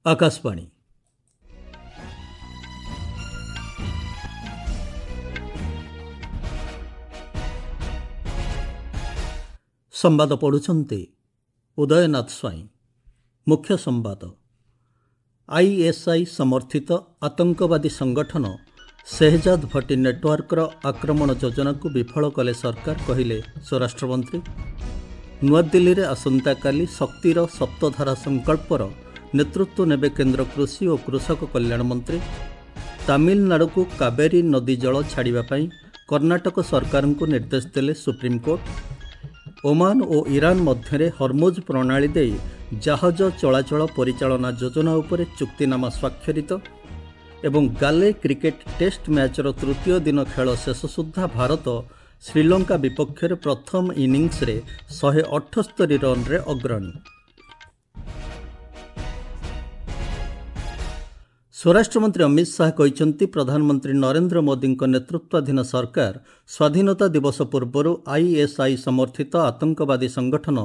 ଆକାଶବାଣୀ। ସମ୍ବାଦ ପଢ଼ୁଛନ୍ତି ଉଦୟନାଥ ସ୍ୱାଇଁ। ମୁଖ୍ୟ ସମ୍ବାଦ। ଆଇଏସ୍ଆଇ ସମର୍ଥିତ ଆତଙ୍କବାଦୀ ସଂଗଠନ ଶେହଜାଦ ଭଟ୍ଟି ନେଟୱାର୍କର ଆକ୍ରମଣ ଯୋଜନାକୁ ବିଫଳ କଲେ ସରକାର, କହିଲେ ସ୍ୱରାଷ୍ଟ୍ରମନ୍ତ୍ରୀ। ନୂଆଦିଲ୍ଲୀରେ ଆସନ୍ତାକାଲି ଶକ୍ତିର ସପ୍ତଧାରା ସଂକଳ୍ପର ନେତୃତ୍ୱ ନେବେ କେନ୍ଦ୍ର କୃଷି ଓ କୃଷକ କଲ୍ୟାଣ ମନ୍ତ୍ରୀ। ତାମିଲନାଡୁକୁ କାବେରୀ ନଦୀ ଜଳ ଛାଡ଼ିବା ପାଇଁ କର୍ଣ୍ଣାଟକ ସରକାରଙ୍କୁ ନିର୍ଦ୍ଦେଶ ଦେଲେ ସୁପ୍ରିମକୋର୍ଟ। ଓମାନ ଓ ଇରାନ ମଧ୍ୟରେ ହର୍ମୁଜ ପ୍ରଣାଳୀ ଦେଇ ଜାହାଜ ଚଳାଚଳ ପରିଚାଳନା ଯୋଜନା ଉପରେ ଚୁକ୍ତିନାମା ସ୍ୱାକ୍ଷରିତ। ଏବଂ ଗାଲେ କ୍ରିକେଟ ଟେଷ୍ଟ ମ୍ୟାଚ୍ର ତୃତୀୟ ଦିନ ଖେଳ ଶେଷ ସୁଦ୍ଧା ଭାରତ ଶ୍ରୀଲଙ୍କା ବିପକ୍ଷରେ ପ୍ରଥମ ଇନିଂସରେ 178 ରନ୍ରେ ଅଗ୍ରଣୀ। ସ୍ୱରାଷ୍ଟ୍ରମନ୍ତ୍ରୀ ଅମିତ ଶାହା କହିଛନ୍ତି, ପ୍ରଧାନମନ୍ତ୍ରୀ ନରେନ୍ଦ୍ର ମୋଦିଙ୍କ ନେତୃତ୍ୱାଧୀନ ସରକାର ସ୍ୱାଧୀନତା ଦିବସ ପୂର୍ବରୁ ଆଇଏସ୍ଆଇ ସମର୍ଥିତ ଆତଙ୍କବାଦୀ ସଂଗଠନ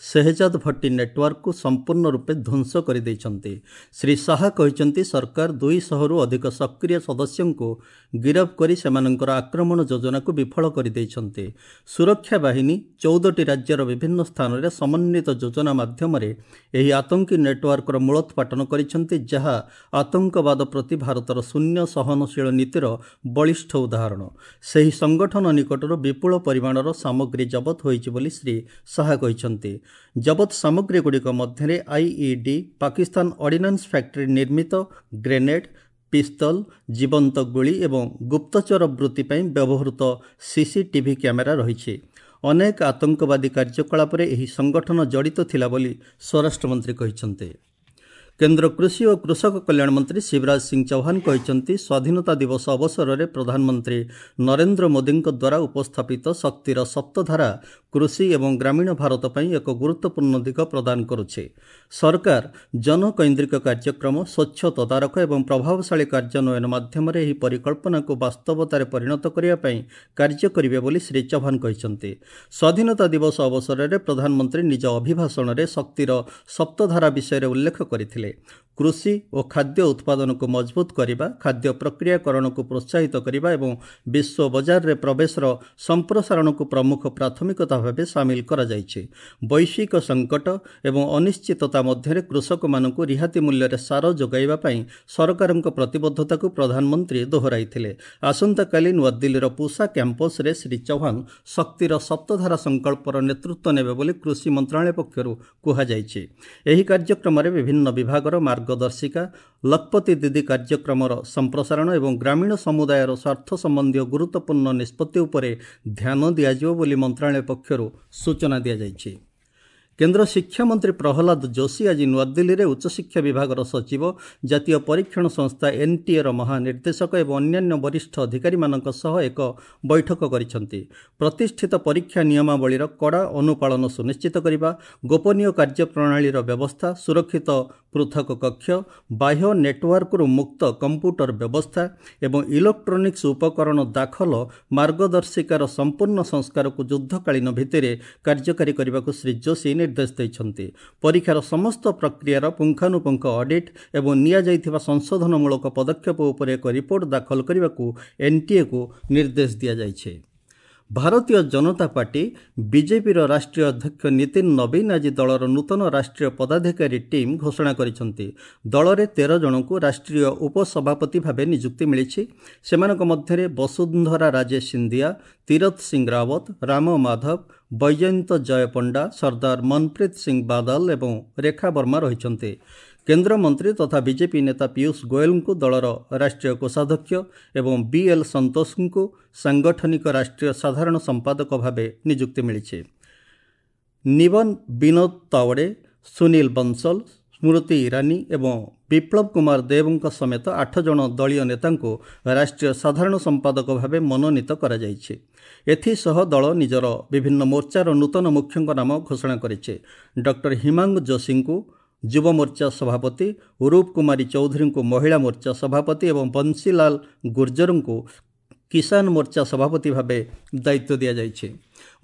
ଶେହଜାଦ ଭଟ୍ଟି ନେଟୱାର୍କକୁ ସମ୍ପୂର୍ଣ୍ଣ ରୂପେ ଧ୍ୱଂସ କରିଦେଇଛନ୍ତି। ଶ୍ରୀ ଶାହା କହିଛନ୍ତି, ସରକାର 200ରୁ ଅଧିକ ସକ୍ରିୟ ସଦସ୍ୟଙ୍କୁ ଗିରଫ କରି ସେମାନଙ୍କର ଆକ୍ରମଣ ଯୋଜନାକୁ ବିଫଳ କରିଦେଇଛନ୍ତି। ସୁରକ୍ଷା ବାହିନୀ 14ଟି ରାଜ୍ୟର ବିଭିନ୍ନ ସ୍ଥାନରେ ସମନ୍ୱିତ ଯୋଜନା ମାଧ୍ୟମରେ ଏହି ଆତଙ୍କୀ ନେଟୱାର୍କର ମୂଳୋତ୍ପାଟନ କରିଛନ୍ତି, ଯାହା ଆତଙ୍କବାଦ ପ୍ରତି ଭାରତର ଶୂନ୍ୟ ସହନଶୀଳ ନୀତିର ବଳିଷ୍ଠ ଉଦାହରଣ। ସେହି ସଂଗଠନ ନିକଟରୁ ବିପୁଳ ପରିମାଣର ସାମଗ୍ରୀ ଜବତ ହୋଇଛି ବୋଲି ଶ୍ରୀ ଶାହା କହିଛନ୍ତି। ଜବତ ସାମଗ୍ରୀଗୁଡ଼ିକ ମଧ୍ୟରେ ଆଇଇଡି, ପାକିସ୍ତାନ ଅର୍ଡିନାନ୍ସ ଫ୍ୟାକ୍ଟ୍ରି ନିର୍ମିତ ଗ୍ରେନେଡ୍, ପିସ୍ତଲ, ଜୀବନ୍ତ ଗୁଳି ଏବଂ ଗୁପ୍ତଚର ବୃତ୍ତି ପାଇଁ ବ୍ୟବହୃତ ସିସିଟିଭି କ୍ୟାମେରା ରହିଛି। ଅନେକ ଆତଙ୍କବାଦୀ କାର୍ଯ୍ୟକଳାପରେ ଏହି ସଂଗଠନ ଜଡ଼ିତ ଥିଲା ବୋଲି ସ୍ୱରାଷ୍ଟ୍ରମନ୍ତ୍ରୀ କହିଛନ୍ତି। କେନ୍ଦ୍ର କୃଷି ଓ କୃଷକ କଲ୍ୟାଣ ମନ୍ତ୍ରୀ ଶିବରାଜ ସିଂ ଚୌହାନ କହିଛନ୍ତି, ସ୍ୱାଧୀନତା ଦିବସ ଅବସରରେ ପ୍ରଧାନମନ୍ତ୍ରୀ ନରେନ୍ଦ୍ର ମୋଦିଙ୍କ ଦ୍ୱାରା ଉପସ୍ଥାପିତ ଶକ୍ତିର ସପ୍ତଧାରା କୃଷି ଏବଂ ଗ୍ରାମୀଣ ଭାରତ ପାଇଁ ଏକ ଗୁରୁତ୍ୱପୂର୍ଣ୍ଣ ଦିଗ ପ୍ରଦାନ କରୁଛି। ସରକାର ଜନକୈନ୍ଦ୍ରିକ କାର୍ଯ୍ୟକ୍ରମ, ସ୍ୱଚ୍ଛ ତଦାରଖ ଏବଂ ପ୍ରଭାବଶାଳୀ କାର୍ଯ୍ୟାନ୍ୱୟନ ମାଧ୍ୟମରେ ଏହି ପରିକଳ୍ପନାକୁ ବାସ୍ତବତାରେ ପରିଣତ କରିବା ପାଇଁ କାର୍ଯ୍ୟ କରିବେ ବୋଲି ଶ୍ରୀ ଚୌହାନ କହିଛନ୍ତି। ସ୍ୱାଧୀନତା ଦିବସ ଅବସରରେ ପ୍ରଧାନମନ୍ତ୍ରୀ ନିଜ ଅଭିଭାଷଣରେ ଶକ୍ତିର ସପ୍ତଧାରା ବିଷୟରେ ଉଲ୍ଲେଖ କରିଥିଲେ। କୃଷି ଓ ଖାଦ୍ୟ ଉତ୍ପାଦନକୁ ମଜବୁତ କରିବା, ଖାଦ୍ୟ ପ୍ରକ୍ରିୟାକରଣକୁ ପ୍ରୋତ୍ସାହିତ କରିବା ଏବଂ ବିଶ୍ୱ ବଜାରରେ ପ୍ରବେଶର ସମ୍ପ୍ରସାରଣକୁ ପ୍ରମୁଖ ପ୍ରାଥମିକତା ଭାବେ ସାମିଲ କରାଯାଇଛି। ବୈଶ୍ୱିକ ସଙ୍କଟ ଏବଂ ଅନିଶ୍ଚିତତା ମଧ୍ୟରେ କୃଷକମାନଙ୍କୁ ରିହାତି ମୂଲ୍ୟରେ ସାର ଯୋଗାଇବା ପାଇଁ ସରକାରଙ୍କ ପ୍ରତିବଦ୍ଧତାକୁ ପ୍ରଧାନମନ୍ତ୍ରୀ ଦୋହରାଇଥିଲେ। ଆସନ୍ତାକାଲି ନୂଆଦିଲ୍ଲୀର ପୁସା କ୍ୟାମ୍ପସରେ ଶ୍ରୀ ଚୌହାନ ଶକ୍ତିର ସପ୍ତଧାରା ସଂକଳ୍ପର ନେତୃତ୍ୱ ନେବେ ବୋଲି କୃଷି ମନ୍ତ୍ରଣାଳୟ ପକ୍ଷରୁ କୁହାଯାଇଛି। ଏହି କାର୍ଯ୍ୟକ୍ରମରେ ବିଭିନ୍ନ ବିଭାଗର ମାର୍ଗଦର୍ଶିକା, ଲଖପତି ଦିଦି କାର୍ଯ୍ୟକ୍ରମର ସମ୍ପ୍ରସାରଣ ଏବଂ ଗ୍ରାମୀଣ ସମୁଦାୟର ସ୍ୱାର୍ଥ ସମ୍ବନ୍ଧୀୟ ଗୁରୁତ୍ୱପୂର୍ଣ୍ଣ ନିଷ୍ପତ୍ତି ଉପରେ ଧ୍ୟାନ ଦିଆଯିବ ବୋଲି ମନ୍ତ୍ରଣାଳୟ ପକ୍ଷରୁ ସୂଚନା ଦିଆଯାଇଛି। କେନ୍ଦ୍ର ଶିକ୍ଷାମନ୍ତ୍ରୀ ପ୍ରହ୍ଲାଦ ଯୋଶୀ ଆଜି ନୂଆଦିଲ୍ଲୀରେ ଉଚ୍ଚଶିକ୍ଷା ବିଭାଗର ସଚିବ, ଜାତୀୟ ପରୀକ୍ଷଣ ସଂସ୍ଥା ଏନ୍ଟିଏର ମହାନିର୍ଦ୍ଦେଶକ ଏବଂ ଅନ୍ୟାନ୍ୟ ବରିଷ୍ଠ ଅଧିକାରୀମାନଙ୍କ ସହ ଏକ ବୈଠକ କରିଛନ୍ତି। ପ୍ରତିଷ୍ଠିତ ପରୀକ୍ଷା ନିୟମାବଳୀର କଡ଼ା ଅନୁପାଳନ ସୁନିଶ୍ଚିତ କରିବା, ଗୋପନୀୟ କାର୍ଯ୍ୟପ୍ରଣାଳୀର ବ୍ୟବସ୍ଥା, ସୁରକ୍ଷିତ ପୃଥକ କକ୍ଷ, ବାହ୍ୟ ନେଟୱାର୍କରୁ ମୁକ୍ତ କମ୍ପ୍ୟୁଟର ବ୍ୟବସ୍ଥା ଏବଂ ଇଲେକ୍ଟ୍ରୋନିକ୍ସ ଉପକରଣ ଦାଖଲ ମାର୍ଗଦର୍ଶିକାର ସମ୍ପୂର୍ଣ୍ଣ ସଂସ୍କାରକୁ ଯୁଦ୍ଧକାଳୀନ ଭିତ୍ତିରେ କାର୍ଯ୍ୟକାରୀ କରିବାକୁ ଶ୍ରୀ ଯୋଶୀ ନିର୍ଦ୍ଦେଶ ଦେଇଛନ୍ତି। ପରୀକ୍ଷାର ସମସ୍ତ ପ୍ରକ୍ରିୟାର ପୁଙ୍ଖାନୁପୁଙ୍ଖ ଅଡିଟ୍ ଏବଂ ନିଆଯାଇଥିବା ସଂଶୋଧନମୂଳକ ପଦକ୍ଷେପ ଉପରେ ଏକ ରିପୋର୍ଟ ଦାଖଲ କରିବାକୁ ଏନ୍ଟିଏକୁ ନିର୍ଦ୍ଦେଶ ଦିଆଯାଇଛି। ଭାରତୀୟ ଜନତା ପାର୍ଟି ବିଜେପିର ରାଷ୍ଟ୍ରୀୟ ଅଧ୍ୟକ୍ଷ ନୀତିନ ନବୀନ ଆଜି ଦଳର ନୂତନ ରାଷ୍ଟ୍ରୀୟ ପଦାଧିକାରୀ ଟିମ୍ ଘୋଷଣା କରିଛନ୍ତି। ଦଳରେ 13 ଜଣଙ୍କୁ ରାଷ୍ଟ୍ରୀୟ ଉପସଭାପତି ଭାବେ ନିଯୁକ୍ତି ମିଳିଛି। ସେମାନଙ୍କ ମଧ୍ୟରେ ବସୁନ୍ଧରା ରାଜେ ସିନ୍ଧିଆ, ତୀରଥ ସିଂ ରାୱତ, ରାମ ମାଧବ, ବୈଜୟନ୍ତ ଜୟ ପଣ୍ଡା, ସର୍ଦ୍ଦାର ମନପ୍ରୀତ ସିଂ ବାଦଲ ଏବଂ ରେଖା ବର୍ମା ରହିଛନ୍ତି। କେନ୍ଦ୍ରମନ୍ତ୍ରୀ ତଥା ବିଜେପି ନେତା ପୀୟୁଷ ଗୋଏଲଙ୍କୁ ଦଳର ରାଷ୍ଟ୍ରୀୟ କୋଷାଧ୍ୟକ୍ଷ ଏବଂ ବିଏଲ୍ ସନ୍ତୋଷଙ୍କୁ ସାଂଗଠନିକ ରାଷ୍ଟ୍ରୀୟ ସାଧାରଣ ସମ୍ପାଦକ ଭାବେ ନିଯୁକ୍ତି ମିଳିଛି। ନିବନ ବିନୋଦ ତାୱଡ଼େ, ସୁନୀଲ ବଂଶଲ, ସ୍ମୃତି ଇରାନୀ ଏବଂ ବିପ୍ଳବ କୁମାର ଦେବଙ୍କ ସମେତ 8 ଜଣ ଦଳୀୟ ନେତାଙ୍କୁ ରାଷ୍ଟ୍ରୀୟ ସାଧାରଣ ସମ୍ପାଦକ ଭାବେ ମନୋନୀତ କରାଯାଇଛି। ଏଥିସହ ଦଳ ନିଜର ବିଭିନ୍ନ ମୋର୍ଚ୍ଚାର ନୂତନ ମୁଖ୍ୟଙ୍କ ନାମ ଘୋଷଣା କରିଛି। ଡକ୍ଟର ହିମାଙ୍ଗ ଯୋଶୀଙ୍କୁ ଯୁବ ମୋର୍ଚ୍ଚା ସଭାପତି, ରୂପ କୁମାରୀ ଚୌଧୁରୀଙ୍କୁ ମହିଳା ମୋର୍ଚ୍ଚା ସଭାପତି ଏବଂ ବଂଶୀଲାଲ ଗୁର୍ଜରଙ୍କୁ କିଷାନ ମୋର୍ଚ୍ଚା ସଭାପତି ଭାବେ ଦାୟିତ୍ୱ ଦିଆଯାଇଛି।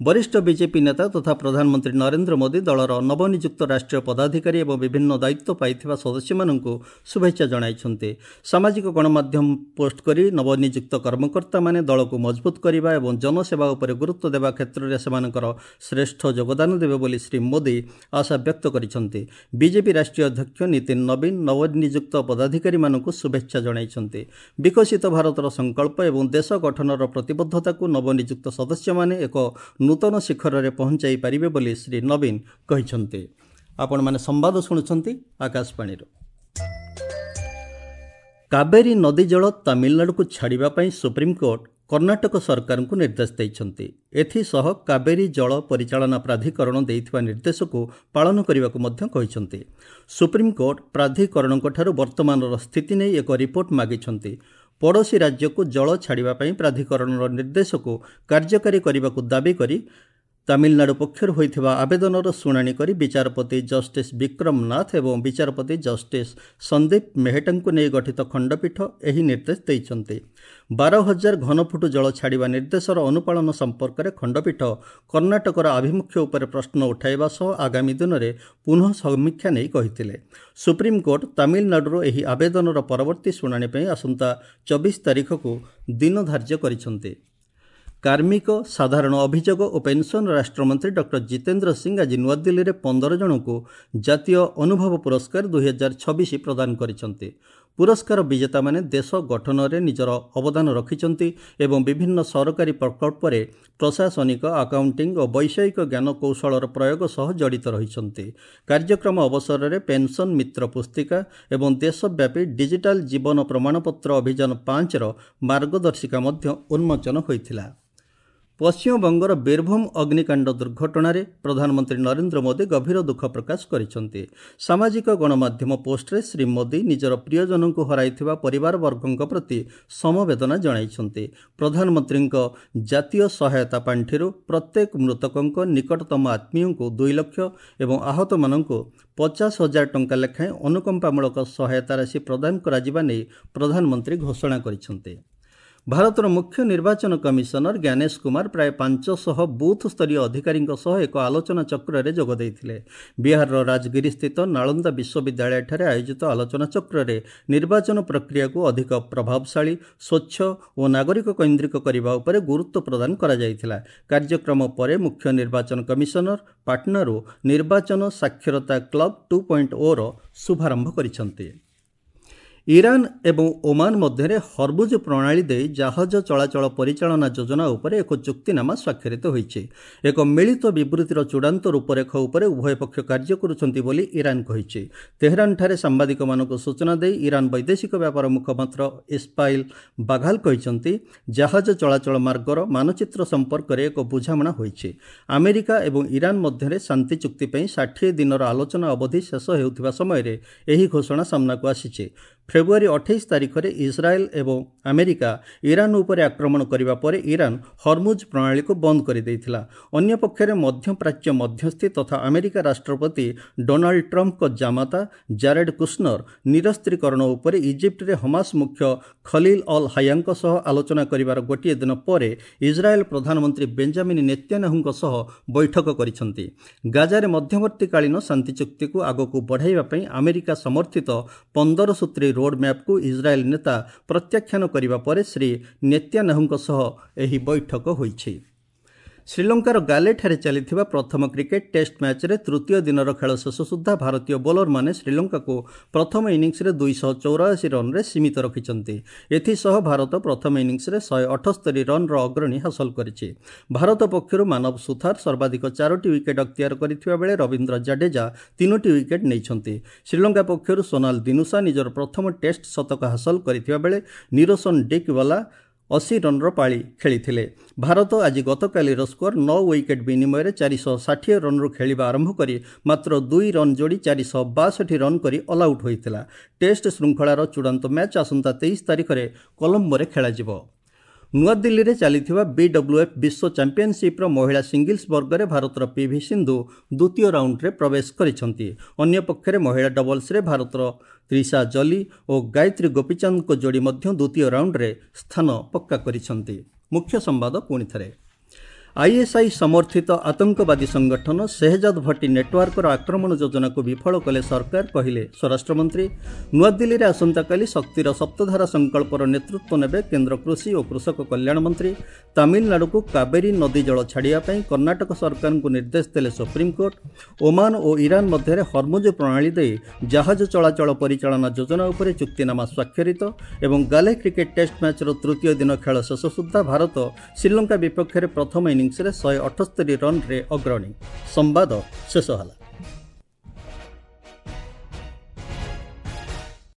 ବରିଷ୍ଠ ବିଜେପି ନେତା ତଥା ପ୍ରଧାନମନ୍ତ୍ରୀ ନରେନ୍ଦ୍ର ମୋଦି ଦଳର ନବନିଯୁକ୍ତ ରାଷ୍ଟ୍ରୀୟ ପଦାଧିକାରୀ ଏବଂ ବିଭିନ୍ନ ଦାୟିତ୍ୱ ପାଇଥିବା ସଦସ୍ୟମାନଙ୍କୁ ଶୁଭେଚ୍ଛା ଜଣାଇଛନ୍ତି। ସାମାଜିକ ଗଣମାଧ୍ୟମ ପୋଷ୍ଟ କରି ନବନିଯୁକ୍ତ କର୍ମକର୍ତ୍ତାମାନେ ଦଳକୁ ମଜବୁତ କରିବା ଏବଂ ଜନସେବା ଉପରେ ଗୁରୁତ୍ୱ ଦେବା କ୍ଷେତ୍ରରେ ସେମାନଙ୍କର ଶ୍ରେଷ୍ଠ ଯୋଗଦାନ ଦେବେ ବୋଲି ଶ୍ରୀ ମୋଦି ଆଶା ବ୍ୟକ୍ତ କରିଛନ୍ତି। ବିଜେପି ରାଷ୍ଟ୍ରୀୟ ଅଧ୍ୟକ୍ଷ ନୀତିନ ନବୀନ ନବନିଯୁକ୍ତ ପଦାଧିକାରୀମାନଙ୍କୁ ଶୁଭେଚ୍ଛା ଜଣାଇଛନ୍ତି। ବିକଶିତ ଭାରତର ସଂକଳ୍ପ ଏବଂ ଦେଶ ଗଠନର ପ୍ରତିବଦ୍ଧତାକୁ ନବନିଯୁକ୍ତ ସଦସ୍ୟମାନେ ଏକ ନୂତନ ଶିଖରରେ ପହଞ୍ଚାଇ ପାରିବେ ବୋଲି ଶ୍ରୀ ନବୀନ କହିଛନ୍ତି। ଆପଣମାନେ ସମ୍ବାଦ ଶୁଣୁଛନ୍ତି ଆକାଶବାଣୀରୁ। କାବେରୀ ନଦୀ ଜଳ ତାମିଲନାଡୁକୁ ଛାଡ଼ିବା ପାଇଁ ସୁପ୍ରିମକୋର୍ଟ କର୍ଣ୍ଣାଟକ ସରକାରଙ୍କୁ ନିର୍ଦ୍ଦେଶ ଦେଇଛନ୍ତି। ଏଥିସହ କାବେରୀ ଜଳ ପରିଚାଳନା ପ୍ରାଧିକରଣ ଦେଇଥିବା ନିର୍ଦ୍ଦେଶକୁ ପାଳନ କରିବାକୁ ମଧ୍ୟ କହିଛନ୍ତି। ସୁପ୍ରିମକୋର୍ଟ ପ୍ରାଧିକରଣଙ୍କଠାରୁ ବର୍ତ୍ତମାନର ସ୍ଥିତି ନେଇ ଏକ ରିପୋର୍ଟ ମାଗିଛନ୍ତି। ପଡ଼ୋଶୀ ରାଜ୍ୟକୁ ଜଳ ଛାଡ଼ିବା ପାଇଁ ପ୍ରାଧିକରଣର ନିର୍ଦ୍ଦେଶକୁ କାର୍ଯ୍ୟକାରୀ କରିବାକୁ ଦାବି କରି ତାମିଲନାଡୁ ପକ୍ଷରୁ ହୋଇଥିବା ଆବେଦନର ଶୁଣାଣି କରି ବିଚାରପତି ଜଷ୍ଟିସ୍ ବିକ୍ରମ ନାଥ ଏବଂ ବିଚାରପତି ଜଷ୍ଟିସ୍ ସନ୍ଦୀପ ମେହେଟାଙ୍କୁ ନେଇ ଗଠିତ ଖଣ୍ଡପୀଠ ଏହି ନିର୍ଦ୍ଦେଶ ଦେଇଛନ୍ତି। 12,000 ଘନଫୁଟ ଜଳ ଛାଡ଼ିବା ନିର୍ଦ୍ଦେଶର ଅନୁପାଳନ ସମ୍ପର୍କରେ ଖଣ୍ଡପୀଠ କର୍ଣ୍ଣାଟକର ଆଭିମୁଖ୍ୟ ଉପରେ ପ୍ରଶ୍ନ ଉଠାଇବା ସହ ଆଗାମୀ ଦିନରେ ପୁନଃ ସମୀକ୍ଷା ନେଇ କହିଥିଲେ। ସୁପ୍ରିମକୋର୍ଟ ତାମିଲନାଡୁର ଏହି ଆବେଦନର ପରବର୍ତ୍ତୀ ଶୁଣାଣି ପାଇଁ ଆସନ୍ତା 24 ତାରିଖକୁ ଦିନ ଧାର୍ଯ୍ୟ କରିଛନ୍ତି। କାର୍ମିକ, ସାଧାରଣ ଅଭିଯୋଗ ଓ ପେନ୍ସନ୍ ରାଷ୍ଟ୍ରମନ୍ତ୍ରୀ ଡକ୍ଟର ଜିତେନ୍ଦ୍ର ସିଂ ଆଜି ନୂଆଦିଲ୍ଲୀରେ 15 ଜଣଙ୍କୁ ଜାତୀୟ ଅନୁଭବ ପୁରସ୍କାର 2026 ପ୍ରଦାନ କରିଛନ୍ତି। ପୁରସ୍କାର ବିଜେତାମାନେ ଦେଶ ଗଠନରେ ନିଜର ଅବଦାନ ରଖିଛନ୍ତି ଏବଂ ବିଭିନ୍ନ ସରକାରୀ ପ୍ରକଳ୍ପରେ ପ୍ରଶାସନିକ, ଆକାଉଣ୍ଟିଂ ଓ ବୈଷୟିକ ଜ୍ଞାନକୌଶଳର ପ୍ରୟୋଗ ସହ ଜଡ଼ିତ ରହିଛନ୍ତି। କାର୍ଯ୍ୟକ୍ରମ ଅବସରରେ ପେନ୍ସନ୍ ମିତ୍ର ପୁସ୍ତିକା ଏବଂ ଦେଶବ୍ୟାପୀ ଡିଜିଟାଲ ଜୀବନ ପ୍ରମାଣପତ୍ର ଅଭିଯାନ 5ର ମାର୍ଗଦର୍ଶିକା ମଧ୍ୟ ଉନ୍ମୋଚନ ହୋଇଥିଲା। ପଶ୍ଚିମବଙ୍ଗର ବୀରଭୂମ ଅଗ୍ନିକାଣ୍ଡ ଦୁର୍ଘଟଣାରେ ପ୍ରଧାନମନ୍ତ୍ରୀ ନରେନ୍ଦ୍ର ମୋଦି ଗଭୀର ଦୁଃଖ ପ୍ରକାଶ କରିଛନ୍ତି। ସାମାଜିକ ଗଣମାଧ୍ୟମ ପୋଷ୍ଟରେ ଶ୍ରୀ ମୋଦି ନିଜର ପ୍ରିୟଜନଙ୍କୁ ହରାଇଥିବା ପରିବାରବର୍ଗଙ୍କ ପ୍ରତି ସମବେଦନା ଜଣାଇଛନ୍ତି। ପ୍ରଧାନମନ୍ତ୍ରୀଙ୍କ ଜାତୀୟ ସହାୟତା ପାଣ୍ଠିରୁ ପ୍ରତ୍ୟେକ ମୃତକଙ୍କ ନିକଟତମ ଆତ୍ମୀୟଙ୍କୁ 2 ଲକ୍ଷ ଏବଂ ଆହତମାନଙ୍କୁ 50,000 ଟଙ୍କା ଲେଖାଏଁ ଅନୁକମ୍ପାମୂଳକ ସହାୟତା ରାଶି ପ୍ରଦାନ କରାଯିବା ନେଇ ପ୍ରଧାନମନ୍ତ୍ରୀ ଘୋଷଣା କରିଛନ୍ତି। ଭାରତର ମୁଖ୍ୟ ନିର୍ବାଚନ କମିଶନର ଜ୍ଞାନେଶ କୁମାର ପ୍ରାୟ 500 ବୁଥ୍ ସ୍ତରୀୟ ଅଧିକାରୀଙ୍କ ସହ ଏକ ଆଲୋଚନା ଚକ୍ରରେ ଯୋଗ ଦେଇଥିଲେ। ବିହାରର ରାଜଗିରିସ୍ଥିତ ନାଳନ୍ଦା ବିଶ୍ୱବିଦ୍ୟାଳୟଠାରେ ଆୟୋଜିତ ଆଲୋଚନା ଚକ୍ରରେ ନିର୍ବାଚନ ପ୍ରକ୍ରିୟାକୁ ଅଧିକ ପ୍ରଭାବଶାଳୀ, ସ୍ୱଚ୍ଛ ଓ ନାଗରିକ କୈନ୍ଦ୍ରିକ କରିବା ଉପରେ ଗୁରୁତ୍ୱ ପ୍ରଦାନ କରାଯାଇଥିଲା। କାର୍ଯ୍ୟକ୍ରମ ପରେ ମୁଖ୍ୟ ନିର୍ବାଚନ କମିଶନର ପାଟନାରୁ ନିର୍ବାଚନ ସାକ୍ଷରତା କ୍ଲବ 2.0ର ଶୁଭାରମ୍ଭ କରିଛନ୍ତି। ଇରାନ ଏବଂ ଓମାନ ମଧ୍ୟରେ ହର୍ବୁଜ ପ୍ରଣାଳୀ ଦେଇ ଜାହାଜ ଚଳାଚଳ ପରିଚାଳନା ଯୋଜନା ଉପରେ ଏକ ଚୁକ୍ତିନାମା ସ୍ୱାକ୍ଷରିତ ହୋଇଛି। ଏକ ମିଳିତ ବିବୃତ୍ତିର ଚୂଡ଼ାନ୍ତ ରୂପରେଖ ଉପରେ ଉଭୟ ପକ୍ଷ କାର୍ଯ୍ୟ କରୁଛନ୍ତି ବୋଲି ଇରାନ କହିଛି। ତେହରାନଠାରେ ସାମ୍ବାଦିକମାନଙ୍କୁ ସୂଚନା ଦେଇ ଇରାନ ବୈଦେଶିକ ବ୍ୟାପାର ମୁଖପାତ୍ର ଇସ୍ମାଇଲ ବାଘାଲ କହିଛନ୍ତି, ଜାହାଜ ଚଳାଚଳ ମାର୍ଗର ମାନଚିତ୍ର ସମ୍ପର୍କରେ ଏକ ବୁଝାମଣା ହୋଇଛି। ଆମେରିକା ଏବଂ ଇରାନ ମଧ୍ୟରେ ଶାନ୍ତି ଚୁକ୍ତି ପାଇଁ 60 ଦିନର ଆଲୋଚନା ଅବଧି ଶେଷ ହେଉଥିବା ସମୟରେ ଏହି ଘୋଷଣା ସାମ୍ନାକୁ ଆସିଛି। ଫେବୃଆରୀ 28 ତାରିଖରେ ଇସ୍ରାଏଲ ଏବଂ ଆମେରିକା ଇରାନ ଉପରେ ଆକ୍ରମଣ କରିବା ପରେ ଇରାନ ହର୍ମୁଜ ପ୍ରଣାଳୀକୁ ବନ୍ଦ କରିଦେଇଥିଲା। ଅନ୍ୟପକ୍ଷରେ ମଧ୍ୟପ୍ରାଚ୍ୟ ମଧ୍ୟସ୍ଥି ତଥା ଆମେରିକା ରାଷ୍ଟ୍ରପତି ଡୋନାଲ୍ଡ ଟ୍ରମ୍ପଙ୍କ ଜାମାତା ଜାରେଡ୍ କୁଶନର ନିରସ୍ତ୍ରୀକରଣ ଉପରେ ଇଜିପ୍ଟରେ ହମାସ ମୁଖ୍ୟ ଖଲିଲ ଅଲ୍ ହାୟାଙ୍କ ସହ ଆଲୋଚନା କରିବାର ଗୋଟିଏ ଦିନ ପରେ ଇସ୍ରାଏଲ ପ୍ରଧାନମନ୍ତ୍ରୀ ବେଞ୍ଜାମିନ୍ ନେତ୍ୟାନାହୁଙ୍କ ସହ ବୈଠକ କରିଛନ୍ତି। ଗାଜାରେ ମଧ୍ୟବର୍ତ୍ତୀକାଳୀନ ଶାନ୍ତି ଚୁକ୍ତିକୁ ଆଗକୁ ବଢ଼ାଇବା ପାଇଁ ଆମେରିକା ସମର୍ଥିତ 15 ସୂତ୍ରୀ ରୋଡ୍ ମ୍ୟାପ୍କୁ ଇସ୍ରାଏଲ ନେତା ପ୍ରତ୍ୟାଖ୍ୟାନ କରିବା ପରେ ଶ୍ରୀ ନେତ୍ୟାନାହୁଙ୍କ ସହ ଏହି ବୈଠକ ହୋଇଛି। ଶ୍ରୀଲଙ୍କାର ଗାଲେଠାରେ ଚାଲିଥିବା ପ୍ରଥମ କ୍ରିକେଟ୍ ଟେଷ୍ଟ ମ୍ୟାଚ୍ରେ ତୃତୀୟ ଦିନର ଖେଳ ଶେଷ ସୁଦ୍ଧା ଭାରତୀୟ ବୋଲରମାନେ ଶ୍ରୀଲଙ୍କାକୁ ପ୍ରଥମ ଇନିଂସରେ 284 ରନ୍ରେ ସୀମିତ ରଖିଛନ୍ତି। ଏଥିସହ ଭାରତ ପ୍ରଥମ ଇନିଂସରେ 178 ରନ୍ର ଅଗ୍ରଣୀ ହାସଲ କରିଛି। ଭାରତ ପକ୍ଷରୁ ମାନବ ସୁଥାର ସର୍ବାଧିକ 4ଟି ୱିକେଟ୍ ଅକ୍ତିଆର କରିଥିବା ବେଳେ ରବୀନ୍ଦ୍ର ଜାଡେଜା 3ଟି ୱିକେଟ୍ ନେଇଛନ୍ତି। ଶ୍ରୀଲଙ୍କା ପକ୍ଷରୁ ସୋନାଲ ଦିନୁସା ନିଜର ପ୍ରଥମ ଟେଷ୍ଟ ଶତକ ହାସଲ କରିଥିବା ବେଳେ ନିରୋସନ ଡିକ୍ୱାଲା 80 ରନ୍ର ପାଳି ଖେଳିଥିଲେ। ଭାରତ ଆଜି ଗତକାଲିର ସ୍କୋର 9 ୱିକେଟ୍ ବିନିମୟରେ 460 ରନ୍ରୁ ଖେଳିବା ଆରମ୍ଭ କରି ମାତ୍ର 2 ରନ୍ ଯୋଡ଼ି 462 ରନ୍ କରି ଅଲ୍ ଆଉଟ୍ ହୋଇଥିଲା। ଟେଷ୍ଟ ଶୃଙ୍ଖଳାର ଚୂଡ଼ାନ୍ତ ମ୍ୟାଚ୍ ଆସନ୍ତା 23 ତାରିଖରେ କଲମ୍ବୋରେ ଖେଳାଯିବ। ନୂଆଦିଲ୍ଲୀରେ ଚାଲିଥିବା ବିଡବ୍ଲ୍ୟୁଏଫ୍ ବିଶ୍ୱ ଚାମ୍ପିଅନସିପ୍ର ମହିଳା ସିଙ୍ଗଲ୍ସ ବର୍ଗରେ ଭାରତର ପିଭି ସିନ୍ଧୁ ଦ୍ୱିତୀୟ ରାଉଣ୍ଡରେ ପ୍ରବେଶ କରିଛନ୍ତି। ଅନ୍ୟପକ୍ଷରେ ମହିଳା ଡବଲ୍ସରେ ଭାରତର ତ୍ରିଷା ଜଲି ଓ ଗାୟତ୍ରୀ ଗୋପୀଚାନ୍ଦଙ୍କ ଯୋଡ଼ି ମଧ୍ୟ ଦ୍ୱିତୀୟ ରାଉଣ୍ଡରେ ସ୍ଥାନ ପକ୍କା କରିଛନ୍ତି। ମୁଖ୍ୟ ସମ୍ବାଦ ପୁଣି ଥରେ। ଆଇଏସ୍ଆଇ ସମର୍ଥିତ ଆତଙ୍କବାଦୀ ସଂଗଠନ ସେହଜାଦ ଭଟ୍ଟି ନେଟୱାର୍କର ଆକ୍ରମଣ ଯୋଜନାକୁ ବିଫଳ କଲେ ସରକାର, କହିଲେ ସ୍ୱରାଷ୍ଟ୍ରମନ୍ତ୍ରୀ। ନୂଆଦିଲ୍ଲୀରେ ଆସନ୍ତାକାଲି ଶକ୍ତିର ସପ୍ତଧାରା ସଂକଳ୍ପର ନେତୃତ୍ୱ ନେବେ କେନ୍ଦ୍ର କୃଷି ଓ କୃଷକ କଲ୍ୟାଣ ମନ୍ତ୍ରୀ। ତାମିଲନାଡୁକୁ କାବେରୀ ନଦୀ ଜଳ ଛାଡ଼ିବା ପାଇଁ କର୍ଣ୍ଣାଟକ ସରକାରଙ୍କୁ ନିର୍ଦ୍ଦେଶ ଦେଲେ ସୁପ୍ରିମକୋର୍ଟ। ଓମାନ ଓ ଇରାନ ମଧ୍ୟରେ ହର୍ମୁଜ ପ୍ରଣାଳୀ ଦେଇ ଜାହାଜ ଚଳାଚଳ ପରିଚାଳନା ଯୋଜନା ଉପରେ ଚୁକ୍ତିନାମା ସ୍ୱାକ୍ଷରିତ। ଏବଂ ଗାଲେ କ୍ରିକେଟ୍ ଟେଷ୍ଟ ମ୍ୟାଚ୍ର ତୃତୀୟ ଦିନ ଖେଳ ଶେଷ ସୁଦ୍ଧା ଭାରତ ଶ୍ରୀଲଙ୍କା ବିପକ୍ଷରେ ପ୍ରଥମ ଇନିଂସରେ 178 ରନ୍ରେ ଅଗ୍ରଣୀ। ସମ୍ବାଦ ଶେଷ ହେଲା।